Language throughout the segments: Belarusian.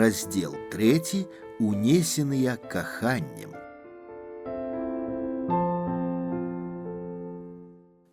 Раздел 3. Унесеныя каханнем.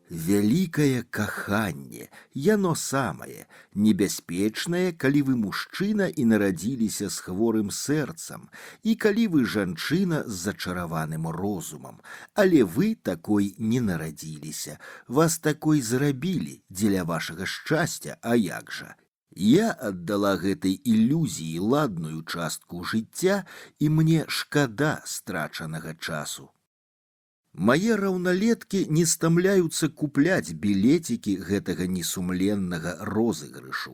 Вялікае каханне, яно самае, небяспечнае, калі вы мужчына і нарадзіліся з хворым сэрцам, і калі вы жанчына з зачараваным розумам, але вы такой не нарадзіліся, вас такой зрабілі дзеля вашага шчасця, а як жа? Я аддала гэтай ілюзіі ладную частку жыцця, і мне шкада страчанага часу. Мае раўналеткі не стамляюцца купляць білетікі гэтага несумленнага розыгрышу.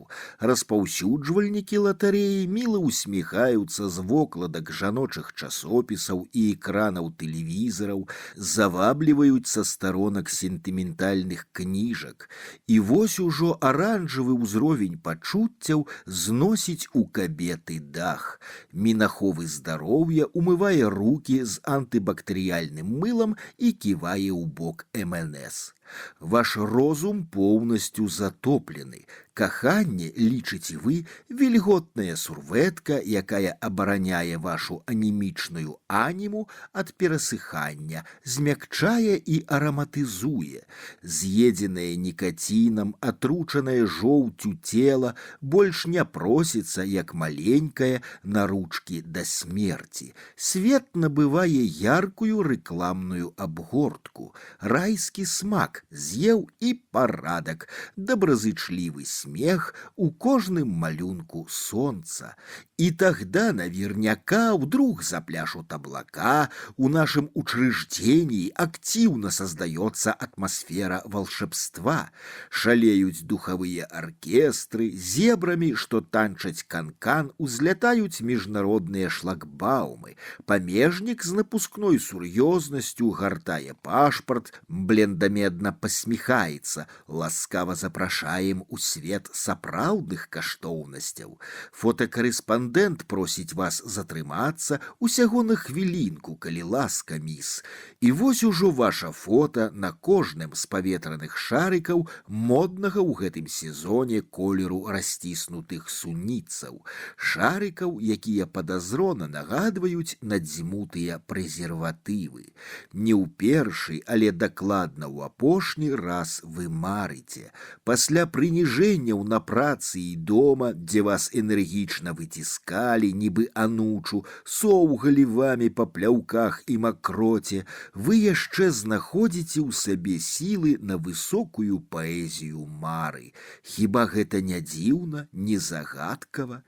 Распаўсюджвальнікі латарэі міла усміхаюцца з вокладак жаночых часопісаў і экранаў тэлевізараў, завабліваюць са старонак сентыментальных кніжак. І вось ужо аранжавы ўзровень пачуццяў зносіць у кабеты дах. Мінаховы здароўя умывае рукі з антыбактэрыяльным мылам і ківае ў бок МНС. Ваш розум поўнасцю затоплены. Каханне, лічыце вы, вільготная сурветка, якая абараняе вашу анемічную аніму ад перасыхання, змякчае і араматызуе. З'едзенае нікацінам, атручанае жоўцю цела больш не просіцца, як маленькая, на ручкі да смерці. Свет набывае яркую рэкламную абгортку. Райскі смак з'еў і парадак, добразычлівы смех у кожным малюнку солнца. И тогда наверняка вдруг запляшут облака, у нашем учреждении активно создается атмосфера волшебства, шалеют духовые оркестры, зебрами, что танчать канкан, узлетают международные шлагбаумы, памежник с напускной сур'ёзнасцю гартае пашпарт, блендамедна посмехается, ласкаво запрашаем у свет сапраўдных каштоўнасцяў. Фотокарэспандэнт просіць вас затрымацца усяго на хвілінку, калі ласка, міс. І вось ужо ваша фота на кожным з паветраных шарыкаў моднага ў гэтым сезоне колеру расціснутых суніцаў. Шарыкаў, якія падазрона нагадваюць надзьмутыя прэзерватывы. Не ў першы, але дакладна ў апошні раз вы марыце. Пасля прыніжэнняў на працы і дома, дзе вас энергічна выціскалі, нібы анучу, соўгалі вамі па пляўках і макроце, вы яшчэ знаходзіце ў сабе сілы на высокую паэзію мары. Хіба гэта не дзіўна, не загадкава?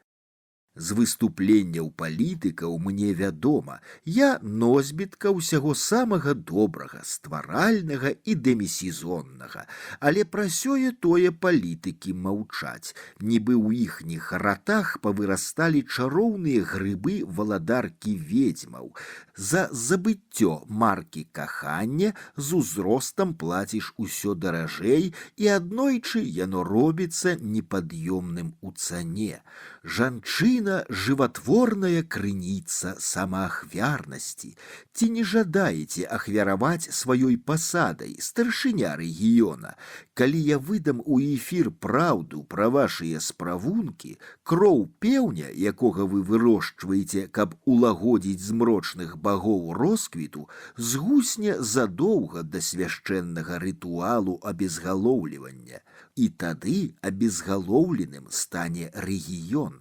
З выступленняў палітыкаў мне вядома, я носьбітка ўсяго самага добрага, стваральнага і дэмісезоннага, але пра сёе-тое палітыкі маўчаць, нібы ў іхніх ратах павырасталі чароўныя грыбы валадаркі ведзьмаў. За забыццё маркі кахання з узростам плаціш усё даражэй, і аднойчы яно робіцца непад'ёмным у цане. Жанчына — жыватворная крыніца самаахвярнасці. Ці не жадаеце ахвяраваць сваёй пасадай, старшыня рэгіёна? Калі я выдам у эфір праўду пра вашыя справункі, кроў пеўня, якога вы вырошчваеце, каб улагодзіць змрочных багоў росквіту, згусне задоўга да свяшчэннага рытуалу абезгалоўлівання. І тады абезгалоўленым стане рэгіён.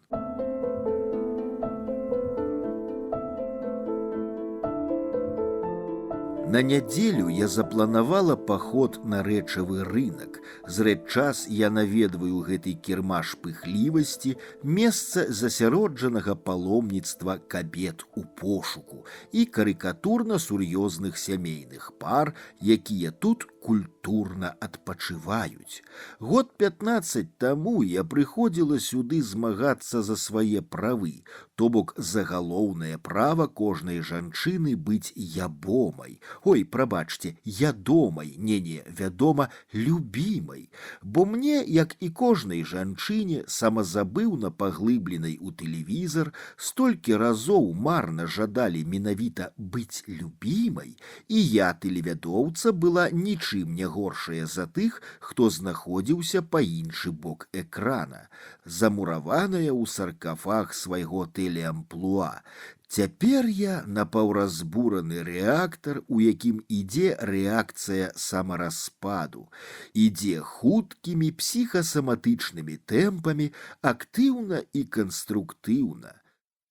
На нядзелю я запланавала паход на рэчавы рынак. Зрэдчас я наведваю гэты кірмаш пыхлівасці, месца засяроджанага паломніцтва кабет у пошуку і карыкатурна-сур'ёзных сямейных пар, якія тут культурна адпачываюць. Год 15 таму я прыходзіла сюды змагацца за свае правы, то бок за галоўнае права кожнай жанчыны быць ябомай. Ой, прабачце, ядомай, не, вядома, любімай. Бо мне, як і кожнай жанчыне, самазабыўна паглыбленай у тэлевізар, столькі разоў марна жадалі менавіта быць любімай, і я, тэлевядоўца, была нічым нічым не горшыя за тых, хто знаходзіўся па іншы бок экрана, замураваная ў саркафаг свайго тэлеамплуа. Цяпер я напаўразбураны рэактар, у якім ідзе рэакцыя самараспаду, ідзе хуткімі псіхасаматычнымі тэмпамі, актыўна і канструктыўна.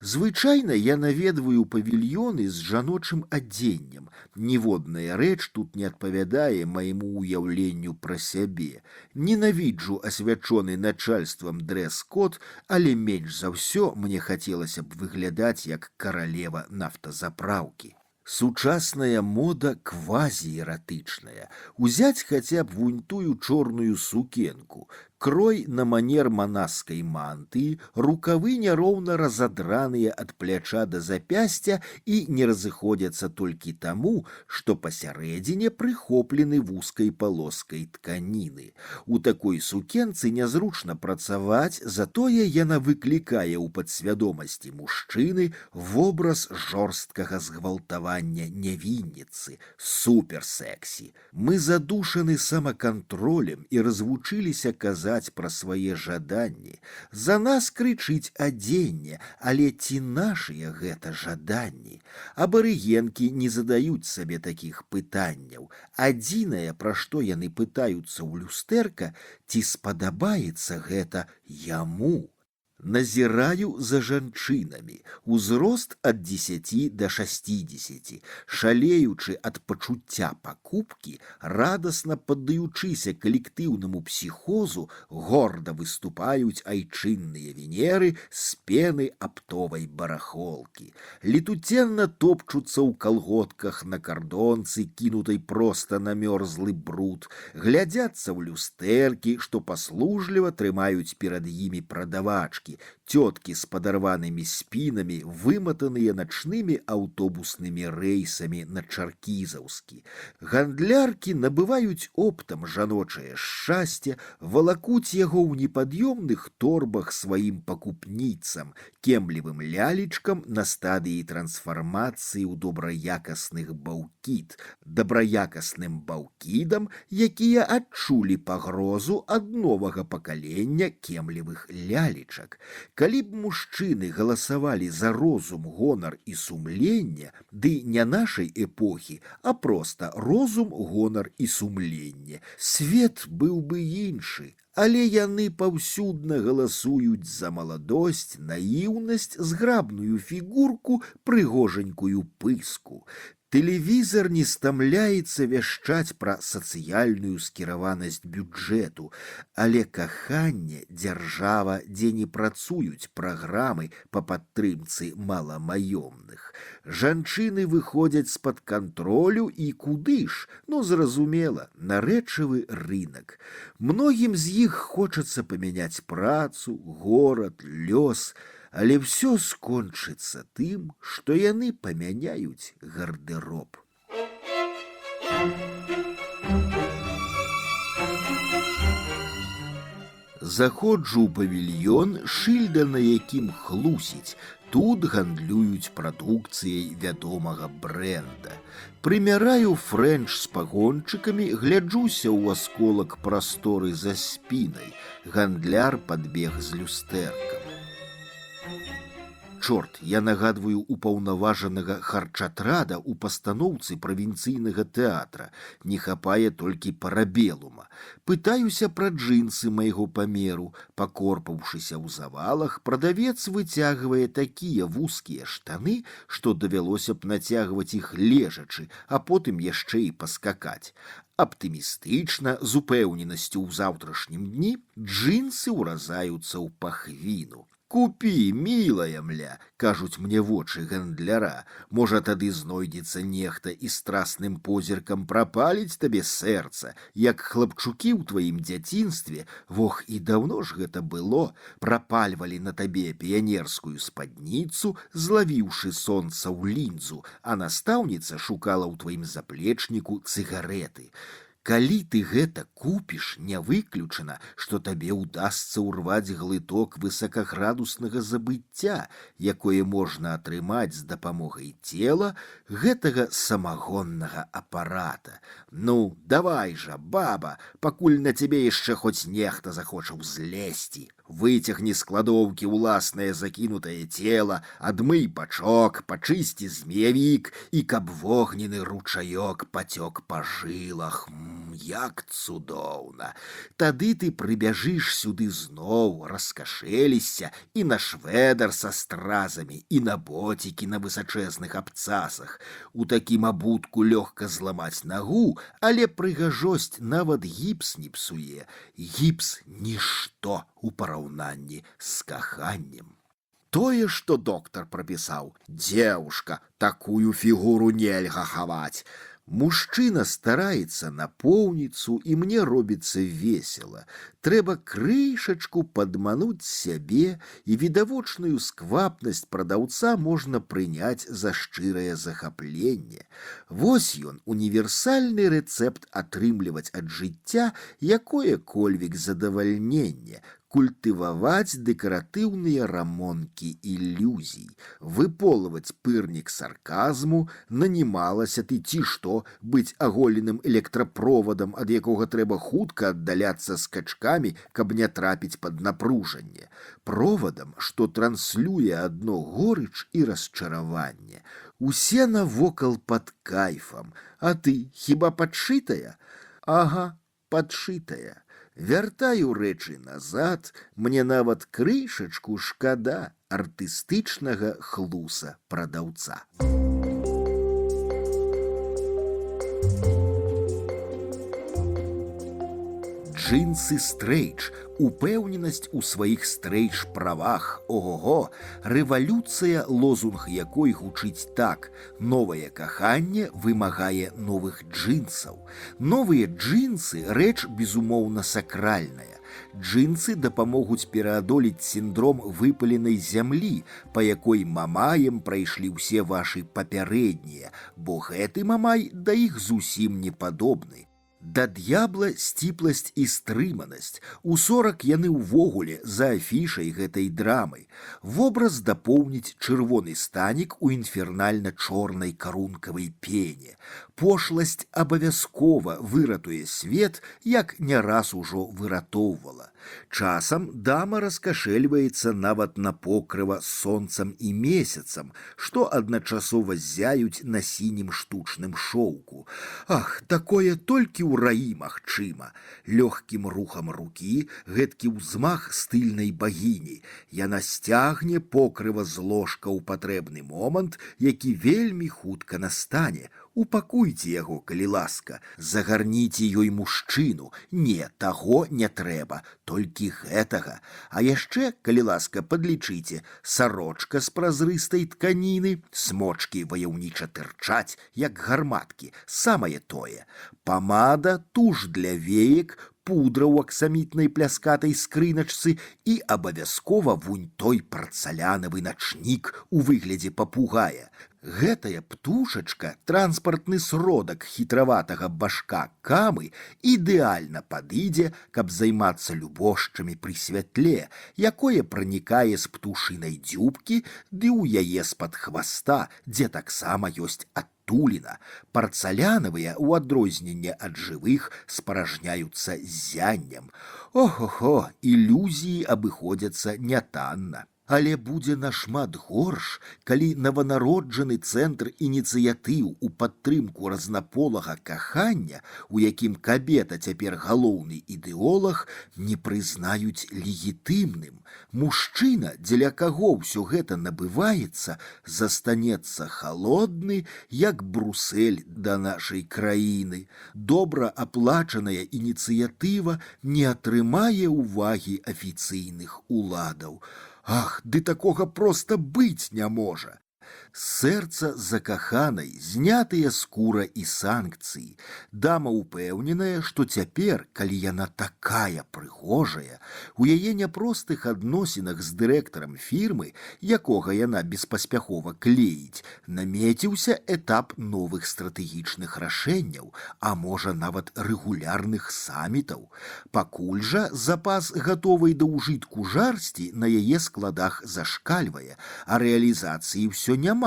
Звычайна я наведваю павільёны з жаночым адзеннем. Ніводная рэч тут не адпавядае майму ўяўленню пра сябе. Ненавіджу асвячоны начальствам дрэс-код, але менш за ўсё мне хацелася б выглядаць як каралева нафтазапраўкі. Сучасная мода квазіэратычная. Узяць хаця б вунь тую чорную сукенку. Крой на манер манаскай мантыі, рукавы няроўна разадраныя ад пляча да запясця і не разыходзяцца толькі таму, што пасярэдзіне прыхоплены вузкай палоскай тканіны. У такой сукенцы нязручна працаваць, затое яна выклікае ў падсвядомасці мужчыны вобраз жорсткага згвалтавання нявінніцы, суперсексі. Мы задушаны самакантролем і развучыліся казаць пра свае жаданні. За нас крычыць адзенне, але ці нашыя гэта жаданні? Абарыгенкі не задаюць сабе такіх пытанняў. Адзінае, пра што яны пытаюцца ў люстэрка, ці спадабаецца гэта яму. Назіраю за жанчынамі, узрост ад 10 да 60, шалеючы ад пачуцця пакупкі, радасна паддаючыся калектыўнаму псіхозу, горда выступаюць айчынныя венеры з пены аптовай барахолкі. Летуценна топчуцца ў калготках на кардонцы, кінутай проста на мёрзлы бруд, глядзяцца ў люстэркі, што паслужліва трымаюць перад імі прадавачкі, тёткі з падарванымі спінамі, выматаныя начнымі аўтобуснымі рэйсамі на Чаркізаўскі. Гандляркі набываюць оптам жаночае шчасце, валакуць яго ў непад'ёмных торбах сваім пакупніцам, кемлівым лялечкам на стадыі трансфармацыі ў добраякасных баўкід, добраякасным баўкідам, якія адчулі пагрозу ад новага пакалення кемлівых лялечак. Калі б мужчыны галасавалі за розум, гонар і сумленне, ды не нашай эпохі, а проста розум, гонар і сумленне, свет быў бы іншы. Але яны паўсюдна галасуюць за маладосць, наіўнасць, зграбную фігурку, прыгожанькую пыску. Тэлевізор не стамляецца вяшчаць пра сацыяльную скіраванасць бюджэту, але каханне, дзяржава, дзе не працуюць праграмы па падтрымцы маламаёмных. Жанчыны выходзяць з-пад кантролю і куды ж? Ну, зразумела, на рэчавы рынак. Многім з іх хочацца памяняць працу, горад, лёс, але ўсё скончыцца тым, што яны памяняюць гардэроб. Заходжу ў павільён, шыльда на якім хлусіць. Тут гандлююць прадукцыяй вядомага брэнда. Прымяраю фрэнч з пагончыкамі, гляджуся ў асколак прасторы за спінай. Гандляр падбег з люстэркам. Чорт, я нагадваю упаўнаважанага харчатрада ў пастаноўцы правінцыйнага тэатра. Не хапае толькі парабелума. Пытаюся пра джинсы майго памеру. Пакорпаўшыся ў завалах, прадавец выцягвае такія вузкія штаны, што давялося б нацягваць іх лежачы, а потым яшчэ і паскакаць. Аптымістычна, з упэўненасцю ў заўтрашнім дні, джинсы ўразаюцца ў пахвіну. «Купі, мілая мля», – кажуць мне вочы гандляра. «Можа, тады знойдзецца нехта і страсным позіркам прапаліць табе сэрца, як хлапчукі ў тваім дзяцінстве, вох, і даўно ж гэта было, прапальвалі на табе піянерскую спадніцу, злавіўшы сонца ў лінзу, а настаўніца шукала ў тваім заплечніку цыгарэты. Калі ты гэта купіш, не выключана, што табе ўдасца ўрваць глыток высокаградуснага забыцця, якое можна атрымаць з дапамогай цела гэтага самагоннага апарата. Ну, давай жа, баба, пакуль на цябе яшчэ хоць нехта захоча ўзлезці. Выцягні з кладоўкі ўласнае закінутае цела, адмый бачок, пачысці змеявік, і каб вогненны ручаёк пацёк па жылах. Як цудоўна! Тады ты прыбяжыш сюды зноў, раскашэлішся і на швэдар са стразамі, і на боцікі на высачэзных абцасах. У такім абутку лёгка зламаць нагу, але прыгажосць нават гіпс не псуе. Гіпс – нішто у параўнанні з каханнем. Тое, што доктар прапісаў: «Дзеўушка, такую фігуру нельга хаваць». Мужчына стараецца напоўніцу, і мне робіцца весела. Трэба крышачку падмануць сябе, і відавочную сквапнасць прадаўца можна прыняць за шчырае захапленне. Вось ён, універсальны рэцэпт атрымліваць ад жыцця якое-кольвек задавальненне, культываваць дэкаратыўныя рамонкі ілюзій, выполваць пырнік сарказму, нанімалася ты ці што быць аголеным электрапровадам, ад якога трэба хутка аддаляцца скачкамі, каб не трапіць пад напружанне, провадам, што транслюе адно горыч і расчараванне. Усе навокал пад кайфам, а ты хіба падшытая? Ага, падшытая. Вяртаю рэчы назад, мне нават крышачку шкада артыстычнага хлуса прадаўца. Джинсы стрейч, упэўненасць у сваіх стрейч-правах, ого-го, рэвалюцыя, лозунг якой гучыць так: новае каханне вымагае новых джинсаў. Новыя джинсы – рэч, безумоўна, сакральная. Джинсы дапамогуць пераадолець сіндром выпаленай зямлі, па якой мамаем прайшлі ўсе вашы папярэднія, бо гэты мамай да іх зусім не падобны. Да д'ябла сціпласць і стрыманасць. У 40 яны ўвогуле за афішай гэтай драмы. Вобраз дапоўніць чырвоны станік у інфернальна-чорнай карункавай пене. Пошласць абавязкова выратуе свет, як не раз ужо выратоўвала. Часам дама раскашэльваецца нават на покрыва сонцам і месяцам, што адначасова ззяюць на сінім штучным шоўку. Ах, такое толькі ў раі магчыма. Лёгкім рухам рукі гэткі ўзмах стыльнай багіні. Яна сцягне покрыва з ложка ў патрэбны момант, які вельмі хутка настане. Упакуйце яго, калі ласка, загарніце ёй мужчыну. Не, таго не трэба, толькі гэтага. А яшчэ, калі ласка, падлічыце: сарочка з празрыстай тканіны, смочкі ваяўніча тырчаць, як гарматкі, самае тое. Памада, туш для веек, пудра ў аксамітнай пляскатай скрыначцы і абавязкова вунь той парцалянавы начнік у выглядзе папугая. Гэтая птушачка, транспартны сродак хітраватага башка камы, ідэальна падыдзе, каб займацца любошчамі пры святле, якое пранікае з птушынай дзюбкі ды ў яе з-пад хваста, дзе таксама ёсць адтуліна. Парцалянавыя, у адрозненне ад жывых, спаражняюцца ззяннем. Ох-охо, ілюзіі абыходзяцца нятанна. Але будзе нашмат горш, калі нованароджаны цэнтр ініцыятыў у падтрымку разнаполага кахання, у якім кабета цяпер галоўны ідэолаг, не прызнаюць легітымным. Мужчына, дзеля каго ўсё гэта набываецца, застанецца халодны, як Брусель да нашай краіны. Добра аплачаная ініцыятыва не атрымае ўвагі афіцыйных уладаў. Ах, ды такога проста быць не можа. Сэрца закаханай, знятыя скура і санкцыі. Дама ўпэўненая, што цяпер, калі яна такая прыгожая, у яе няпростых адносінах з дырэктарам фірмы, якога яна беспаспяхова клеіць, намеціўся этап новых стратэгічных рашэнняў, а можа нават рэгулярных самітаў. Пакуль жа запас гатовай да ўжытку жарсці на яе складах зашкальвае, а рэалізацыі ўсё няма,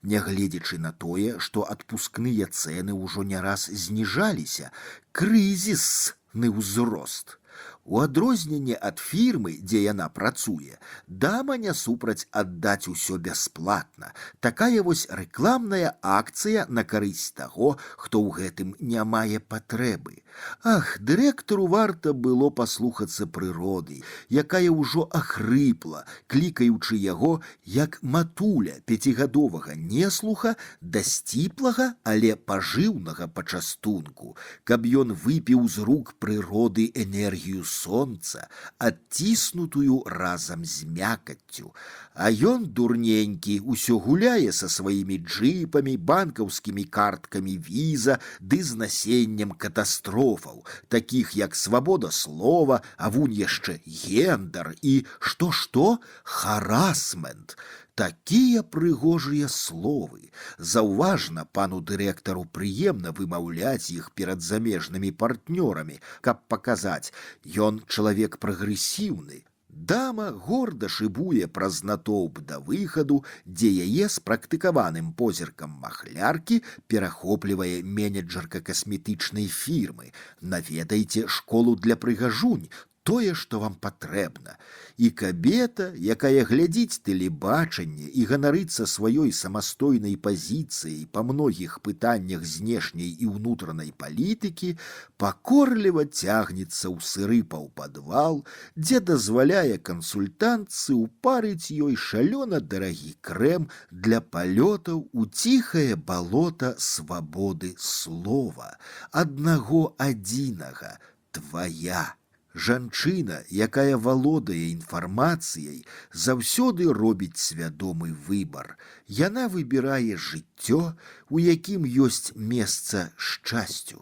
нягледзячы на тое, што адпускныя цэны ўжо не раз зніжаліся. Крызісны ўзрост. У адрозненне ад фірмы, дзе яна працуе, дама не супраць аддаць усё бясплатна. Такая вось рэкламная акцыя на карысць таго, хто ў гэтым не мае патрэбы. Ах, дырэктару варта было паслухацца прыроды, якая ўжо ахрыпла, клікаючы яго, як матуля пяцігадовага неслуха да сціплага, але пажыўнага пачастунку, каб ён выпіў з рук прыроды энергію сонца, адціснутую разам з мякаццю. А ён, дурненькі, усё гуляе са сваімі джыпамі, банкаўскімі карткамі віза ды з насеннем катастрофаў, такіх як свабода слова, а вунь яшчэ гендар і што-што? Харасмент. Такія прыгожыя словы. Заўважна, пану дырэктару прыемна вымаўляць іх перад замежнымі партнёрамі, каб паказаць, ён чалавек прагрэсіўны. Дама горда шыбуе праз натоўп да выхаду, дзе яе з практыкаваным позіркам махляркі перахоплівае менеджерка касметычнай фірмы. Наведайце школу для прыгажунь, тое, што вам патрэбна. І кабета, якая глядзіць тэлебачанне і ганарыцца сваёй самастойнай пазіцыяй па многіх пытаннях знешняй і ўнутранай палітыкі, пакорліва цягнецца ў сыры паўпадвал, дзе дазваляе кансультантцы ўпарыць ёй шалёна дарагі крэм для палётаў у ціхае балота свабоды слова, аднаго адзінага, твая. Жанчына, якая валодае інфармацыяй, заўсёды робіць свядомы выбар. Яна выбірае жыццё, у якім ёсць месца шчасцю.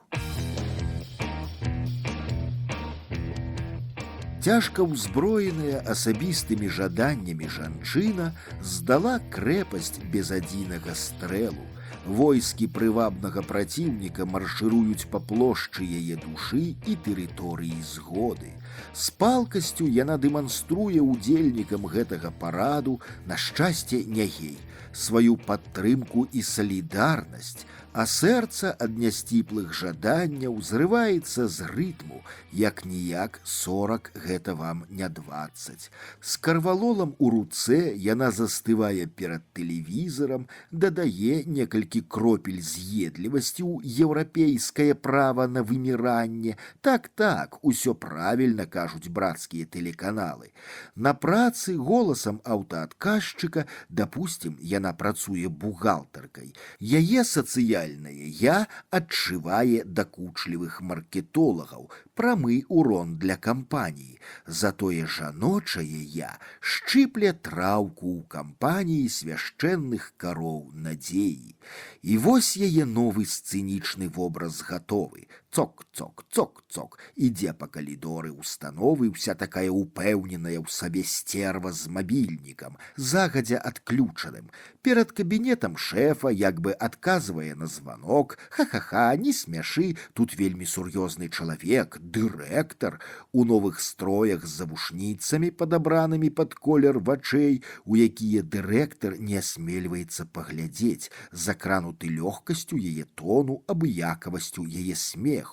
Цяжка ўзброеная асабістымі жаданнямі жанчына здала крэпасць без адзінага стрэлу. Войскі прывабнага праціўніка маршыруюць па плошчы яе душы і тэрыторыі згоды. З палкасцю яна дэманструе ўдзельнікам гэтага параду, на шчасце не гей, сваю падтрымку і салідарнасць, а сэрца ад нясціплых жаданняў зрываецца з рытму, як-ніяк 40 гэта вам не 20. З карвалолам у руцэ яна застывае перад тэлевізарам, дадае некалькі кропель з'едлівасці ў еўрапейскае права на выміранне. Так, усё правільна кажуць брацкія тэлеканалы. На працы голасам аўтаадказчыка, дапусцім, яна працуе бухгалтаркай. Яе сацыяльнае я адчывае дакучлівых маркетолагаў, прамы урон для кампаніі. Затое жаночае я шчыпле траўку ў кампаніі свяшчэнных кароў надзеі. І вось яе новы сцэнічны вобраз гатовы. Цок-цок, ідзе па калідоры установы ўся такая упэўненая ў сабе стерва з мабільнікам, загадзя адключаным. Перад кабінетам шэфа як бы адказвае на званок. Ха-ха-ха, не смяшы, тут вельмі сур'ёзны чалавек, дырэктар, у новых строях з завушніцамі, падабранымі пад колер вачэй, у якія дырэктар не асмельваецца паглядзець, закрануты лёгкасцю яе тону, абыякавасцю яе смеху.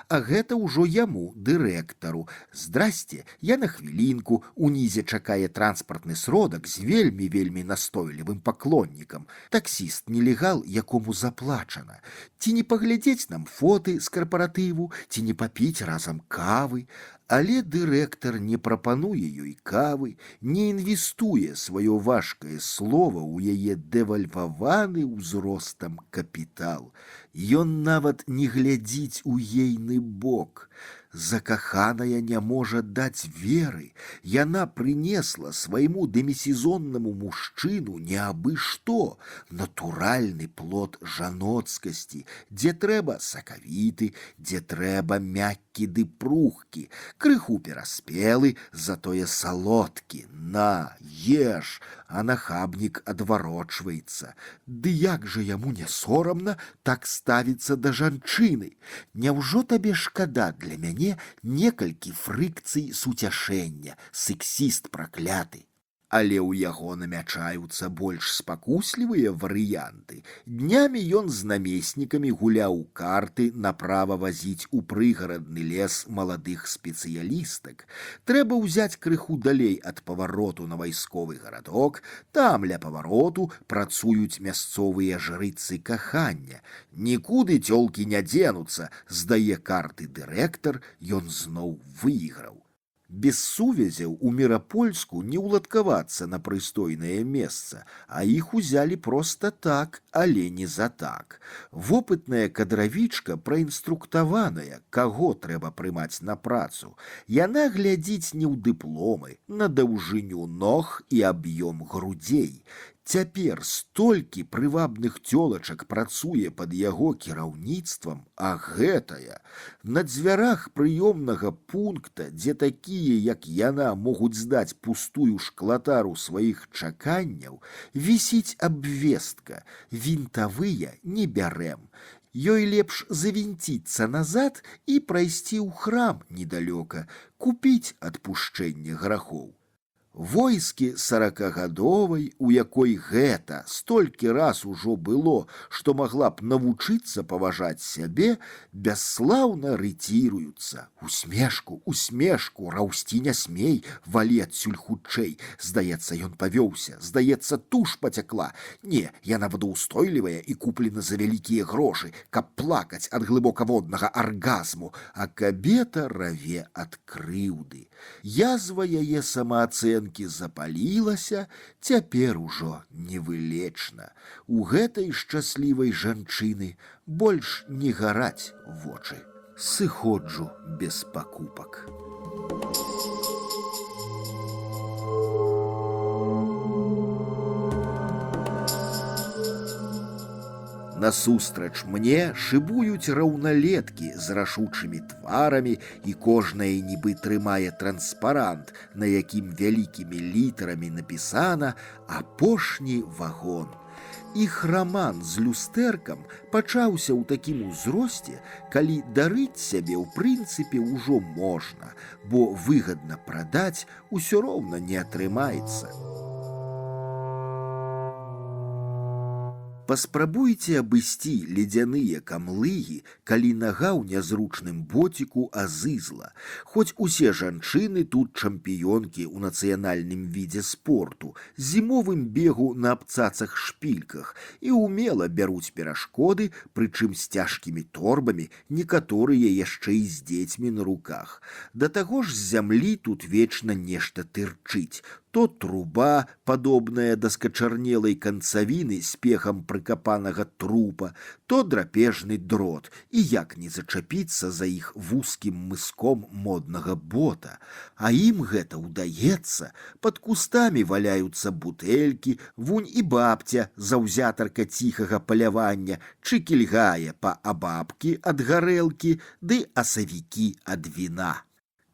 А гэта ўжо яму, дырэктару. Здрасце, я на хвілінку, унізе чакае транспартны сродак з вельмі настойлівым паклоннікам. Таксіст нелегал, якому заплачана. Ці не паглядзець нам фоты з карпаратыву, ці не папіць разам кавы. Але дырэктар не прапануе ёй кавы, не інвестуе сваё важкае слова ў яе дэвальваваны ўзростам капітал. Ён нават не глядзіць у ейны бок. Закаханая не можа даць веры. Яна прынесла свайму демісезоннаму мужчыну не абы што, натуральны плод жаноцкасці, дзе трэба сакавіты, дзе трэба мяккі ды прухкі, крыху пераспелы, затое салодкі. На, еш, а нахабнік адварочваецца. Ды як жа яму не сорамна так ставіцца да жанчыны? Няўжо табе шкада для мяне некалькі фрыкцый суцяшэння, сексіст пракляты? Але ў яго намячаюцца больш спакуслівыя варыянты. Днямі ён з намеснікамі гуляў у карты, направа вазіць у прыгарадны лес маладых спецыялістак. Трэба ўзяць крыху далей ад павароту на вайсковы гарадок, там ля павароту працуюць мясцовыя жрыцы кахання. Нікуды цёлкі не дзенуцца, здае карты дырэктар, ён зноў выйграў. Без сувязяў у Мірапольску не ўладкавацца на прыстойнае месца, а іх узялі проста так, але не за так. Вопытная кадравічка праінструктаваная, каго трэба прымаць на працу. Яна глядзіць не ў дыпломы, на даўжыню ног і аб'ём грудзей. Цяпер столькі прывабных цёлачак працуе пад яго кіраўніцтвам, а гэтая на дзвярах прыёмнага пункта, дзе такія, як яна, могуць здаць пустую шклатару сваіх чаканняў, вісіць абвестка: вінтавыя не бярэм. Ёй лепш завінціцца назад і прайсці ў храм недалёка, купіць адпушчэнне грахоў. Войскі 40гадовай, у якой гэта столькі раз ужо было, што магла б навучыцца паважаць сябе, бясслаўна рыціруюцца. Усмешку, усмешку, раўсці не смей, валі адсюль хутчэй. Здаецца, ён павёўся, здаецца, туш пацякла. Не, яна водаўстойлівая і куплена за вялікія грошы, каб плакаць ад глыбокаводнага аргазму, а кабета раве ад крыўды. Язва яе самаацэнкі запалілася, цяпер ужо невылечна. У гэтай шчаслівай жанчыны больш не гараць вочы. Сыходжу без пакупак. Насустрач мне шыбуюць раўналеткі з рашучымі тварамі, і кожная нібы трымае транспарант, на якім вялікімі літарамі напісана «Апошні вагон». Іх раман з люстэркам пачаўся ў такім узросце, калі дарыць сябе ў прынцыпе ўжо можна, бо выгадна прадаць усё роўна не атрымаецца. Паспрабуйце абысці ледзяныя камлыгі, калі нага ў нязручным боціку азызла. Хоць усе жанчыны тут чэмпіёнкі ў нацыянальным відзе спорту, зімовым бегу на абцацах-шпільках, і ўмела бяруць перашкоды, прычым з цяжкімі торбамі, некаторыя яшчэ і з дзецьмі на руках. Да таго ж з зямлі тут вечна нешта тырчыць. То труба, падобная да скачарнелай канцавіны з пехам прыкапанага трупа, то драпежны дрот, і як не зачапіцца за іх вузкім мыском моднага бота. А ім гэта ўдаецца. Пад кустамі валяюцца бутэлькі, вунь і бабця, заўзятарка ціхага палявання, чыкільгае па абабкі ад гарэлкі, ды асавікі ад віна.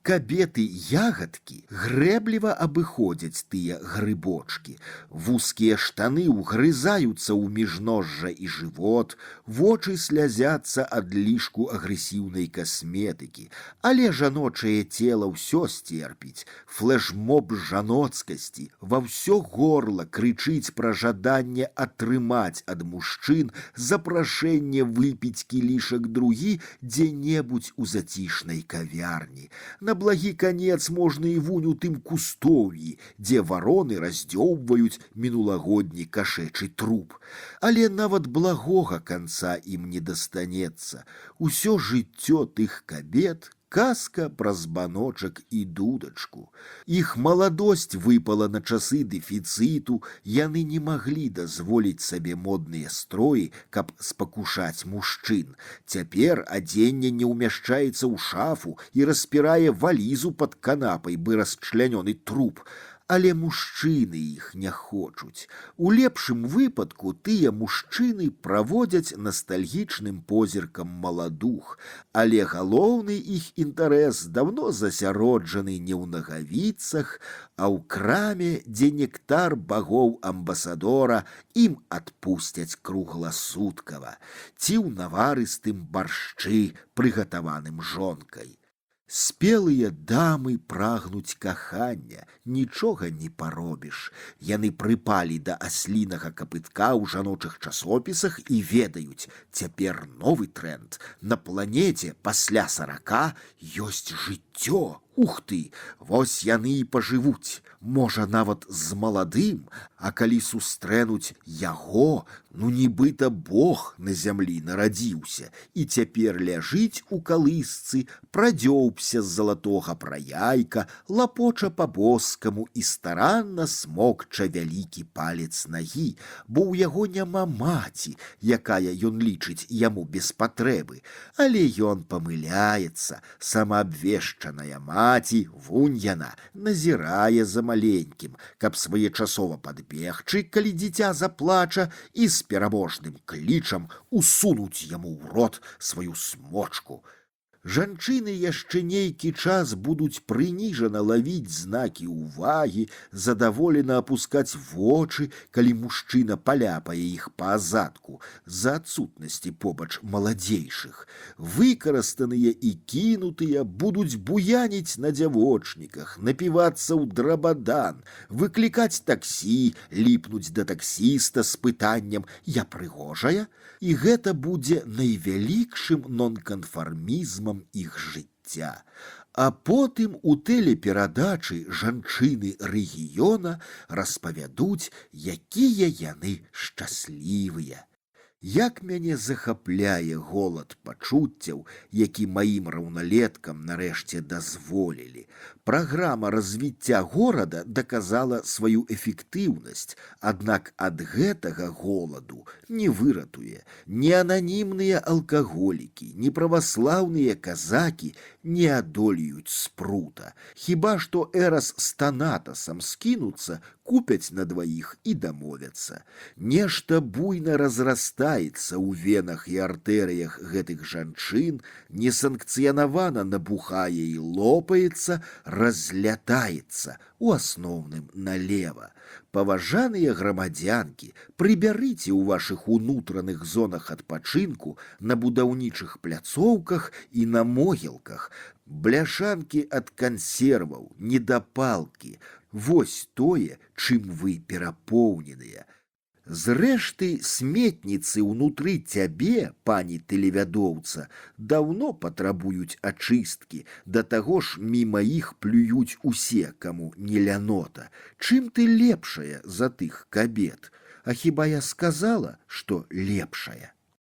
Кабеты-ягадкі грэбліва абыходзяць тыя грыбочкі. Вузкія штаны ўгрызаюцца ў міжножжа і жывот, вочы слязяцца ад лішку агрэсіўнай касметыкі. Але жаночае цела ўсё сцерпіць. Флэшмоб жаноцкасці ва ўсё горла крычыць пра жаданне атрымаць ад мужчын запрашэнне выпіць кілішак другі дзе-небудзь у зацішнай кавярні. На благі канец можна і вунь у тым кустоўі, дзе вароны раздзёўбваюць мінулагодні кашэчы труп. Але нават благога канца ім не дастанецца. Усё жыццё тых кабет Казка пра збаночак і дудачку. Іх маладосць выпала на часы дэфіцыту, яны не маглі дазволіць сабе модныя строі, каб спакушаць мужчын. Цяпер адзенне не ўмяшчаецца ў шафу і распірае валізу пад канапай, бы расчлянёны труп. Але мужчыны іх не хочуць. У лепшым выпадку тыя мужчыны праводзяць настальгічным позіркам маладух, але галоўны іх інтарэс даўно засяроджаны не ў нагавіцах, а ў краме, дзе нектар багоў амбасадора ім адпусцяць кругласуткава, ці ў наварыстым баршчы, прыгатаваным жонкай. Спелыя дамы прагнуць кахання, нічога не паробіш. Яны прыпалі да аслінага капытка ў жаночых часопісах і ведаюць, цяпер новы тренд. На планеце пасля 40 ёсць жыццё. Ух ты, вось яны і пажывуць, можа нават з маладым, а калі сустрэнуць яго, ну нібыта Бог на зямлі нарадзіўся і цяпер ляжыць у калысцы, прадзёўбся з залатога праяйка, лапоча па-боскаму і старанна смокча вялікі палец нагі, бо ў яго няма маці, якая ён лічыць яму без патрэбы, але ён памыляецца, самаабвешчаная маці, вунь яна, назірае за маленькім, каб своечасова падбегчы, калі дзіця заплача, і з пераможным клічам усунуць яму ў рот сваю смочку. Жанчыны яшчэ нейкі час будуць прыніжана лавіць знакі ўвагі, задаволена апускаць вочы, калі мужчына паляпае іх па азадку, з-за адсутнасці побач маладзейшых. Выкарыстаныя і кінутыя будуць буяніць на дзявочніках, напівацца ў драбадан, выклікаць таксі, ліпнуць да таксіста з пытаннем «Я прыгожая?» І гэта будзе найвялікшым нонканфармізмам іх жыцця. А потым у тэлеперадачы жанчыны рэгіёна распавядуць, якія яны шчаслівыя. Як мяне захапляе голад пачуццяў, які маім раўналеткам нарэшце дазволілі. Праграма развіцця горада даказала сваю эфектыўнасць, аднак ад гэтага голаду не выратуе. Ні ананімныя алкаголікі, ні праваслаўныя казакі не адолеюць спрута. Хіба што эрас з танатасам скінуцца, купяць на дваіх і дамовяцца. Нешта буйна разрастаецца ў венах і артэрыях гэтых жанчын, несанкцыянавана набухае і лопаецца, разлятаецца, у асноўным налева. Паважаныя грамадзянкі, прыбярыце ў вашых унутраных зонах адпачынку, на будаўнічых пляцоўках і на могілках бляшанкі ад кансерваў, недапалкі. Вось тое, чым вы перапоўненыя. Зрэшты, сметніцы ўнутры цябе, пані тэлевядоўца, даўно патрабуюць ачысткі, да таго ж міма іх плююць усе, каму не лянота. Чым ты лепшая за тых кабет? А хіба я сказала, што лепшая?